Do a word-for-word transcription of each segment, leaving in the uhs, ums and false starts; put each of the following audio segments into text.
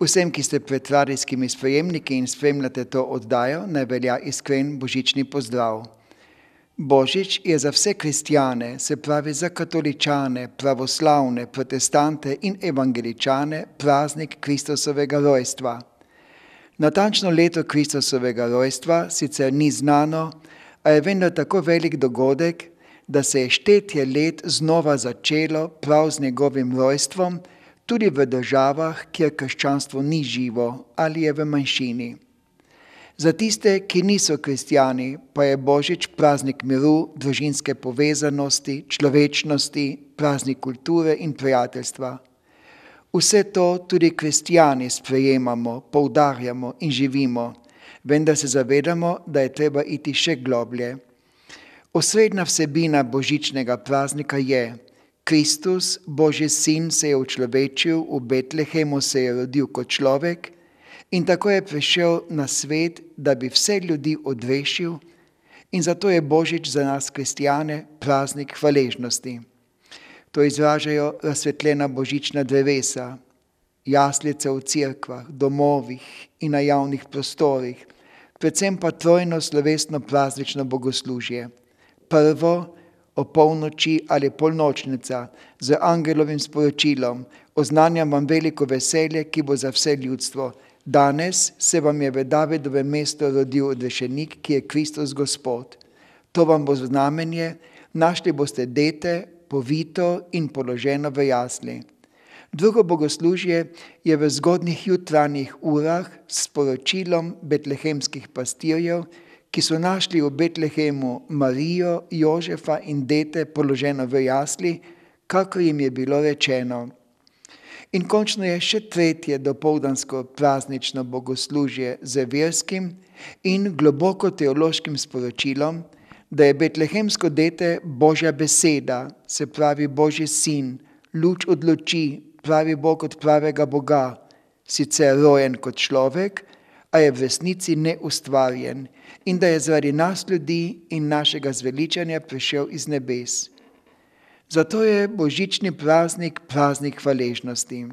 Vsem, ki ste pred radijskimi sprejemniki in spremljate to oddajo, naj velja iskren božični pozdrav. Božič je za vse kristjane, se pravi za katoličane, pravoslavne, protestante in evangeličane, praznik Kristusovega rojstva. Natančno leto Kristusovega rojstva sicer ni znano, a je vendar tako velik dogodek, da se je štetje let znova začelo prav z njegovim rojstvom, tudi v državah, kjer krščanstvo ni živo ali je v manjšini. Za tiste, ki niso kristjani, pa je Božič praznik miru, družinske povezanosti, človečnosti, praznik kulture in prijateljstva. Vse to tudi kristjani sprejemamo, poudarjamo in živimo, vendar se zavedamo, da je treba iti še globlje. Osrednja vsebina božičnega praznika je: Kristus, Božji sin, se je učlovečil, v Betlehemu se je rodil kot človek in tako je prišel na svet, da bi vse ljudi odrešil, in zato je Božič za nas kristjane praznik hvaležnosti. To izražajo razsvetljena božična drevesa, jaslice v cerkvah, domovih in na javnih prostorih, predvsem pa trojno slovesno praznično bogoslužje. Prvo, o polnoči ali polnočnica, z angelovim sporočilom: oznanjam vam veliko veselje, ki bo za vse ljudstvo. Danes se vam je v Davidovem mestu rodil odrešenik, ki je Kristus Gospod. To vam bo znamenje, našli boste dete, povito in položeno v jasli. Drugo bogoslužje je v zgodnjih jutranjih urah s sporočilom betlehemskih pastirjev, ki so našli v Betlehemu Marijo, Jožefa in dete položeno v jasli, kakor jim je bilo rečeno. In končno je še tretje dopoldansko praznično bogoslužje z verskim in globoko teološkim sporočilom, da je betlehemsko dete Božja beseda, se pravi Božji sin, luč od luči, pravi Bog od pravega Boga, sicer rojen kot človek, a je v resnici neustvarjen, in da je zaradi nas ljudi in našega zveličanja prišel iz nebes. Zato je božični praznik praznik hvaležnosti.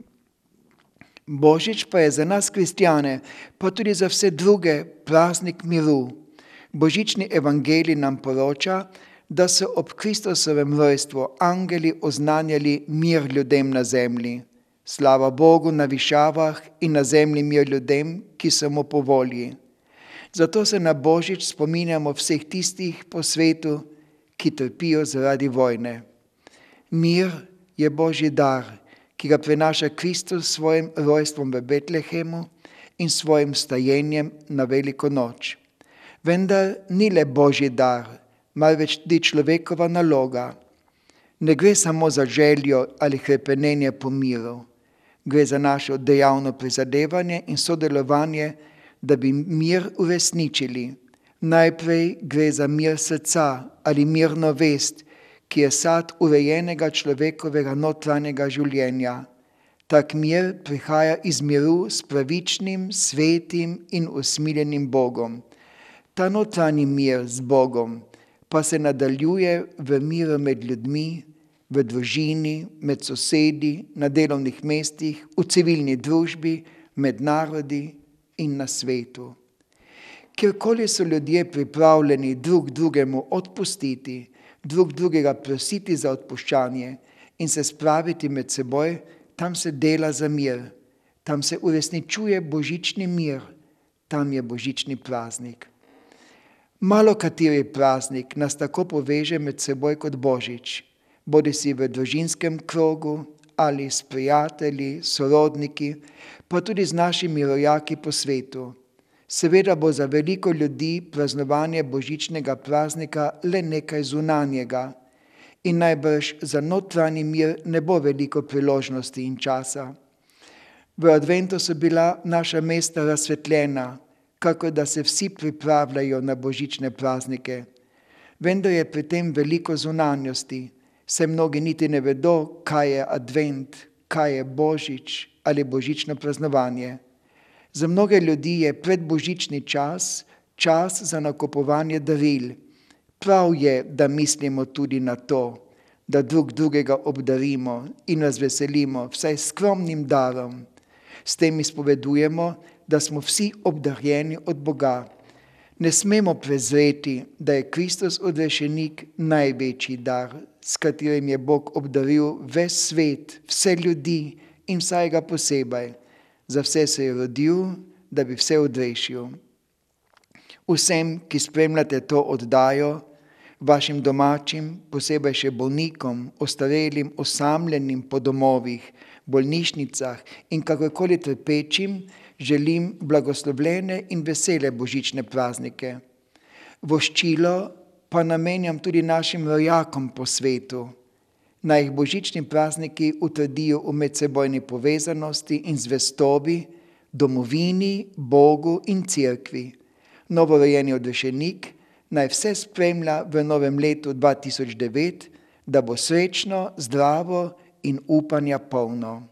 Božič pa je za nas kristjane, pa tudi za vse druge, praznik miru. Božični evangelij nam poroča, da so ob Kristusovem rojstvu angeli oznanjali mir ljudem na zemlji. Slava Bogu na višavah in na zemlji mir ljudem, ki so mu po volji. Zato se na Božič spominjamo vseh tistih po svetu, ki trpijo zaradi vojne. Mir je Božji dar, ki ga prinaša Kristus s svojim rojstvom v Betlehemu in svojim stajenjem na veliko noč. Vendar ni le Božji dar, marveč tudi človekova naloga. Ne gre samo za željo ali hrepenenje po miru. Gre za naše dejavno prizadevanje in sodelovanje, da bi mir uresničili. Najprej gre za mir srca ali mirno vest, ki je sad urejenega človekovega notranjega življenja. Tak mir prihaja iz miru s pravičnim, svetim in usmiljenim Bogom. Ta notranji mir z Bogom pa se nadaljuje v miru med ljudmi, v družini, med sosedi, na delovnih mestih, v civilni družbi, med narodi in na svetu. Kjerkoli so ljudje pripravljeni drug drugemu odpustiti, drug drugega prositi za odpuščanje in se spraviti med seboj, tam se dela za mir, tam se uresničuje božični mir, tam je božični praznik. Malo kateri praznik nas tako poveže med seboj kot Božič, bodisi v družinskem krogu ali s prijatelji, sorodniki, pa tudi z našimi rojaki po svetu. Seveda bo za veliko ljudi praznovanje božičnega praznika le nekaj zunanjega in najbrž za notranji mir ne bo veliko priložnosti in časa. V adventu so bila naša mesta razsvetljena, kakor da se vsi pripravljajo na božične praznike. Vendar je pri tem veliko zunanjosti, saj mnogi niti ne vedo, kaj je advent, kaj je božič ali božično praznovanje. Za mnoge ljudi je predbožični čas, čas za nakupovanje daril. Prav je, da mislimo tudi na to, da drug drugega obdarimo in razveselimo vsaj skromnim darom. S tem izpovedujemo, da smo vsi obdarjeni od Boga. Ne smemo prezreti, da je Kristus odrešenik največji dar, s katerim je Bog obdaril ves svet, vse ljudi in vsakega posebej. Za vse se je rodil, da bi vse odrešil. Vsem, ki spremljate to oddajo, vašim domačim, posebej še bolnikom, ostarelim, osamljenim po domovih, bolnišnicah in kakorkoli trpečim, želim blagoslovljene in vesele božične praznike. Voščilo pa namenjam tudi našim rojakom po svetu. Naj jih božični prazniki utrdijo v medsebojni povezanosti in zvestobi, domovini, Bogu in Cerkvi. Novorojeni odrešenik naj vse spremlja v novem letu dva tisoč devet, da bo srečno, zdravo in upanja polno.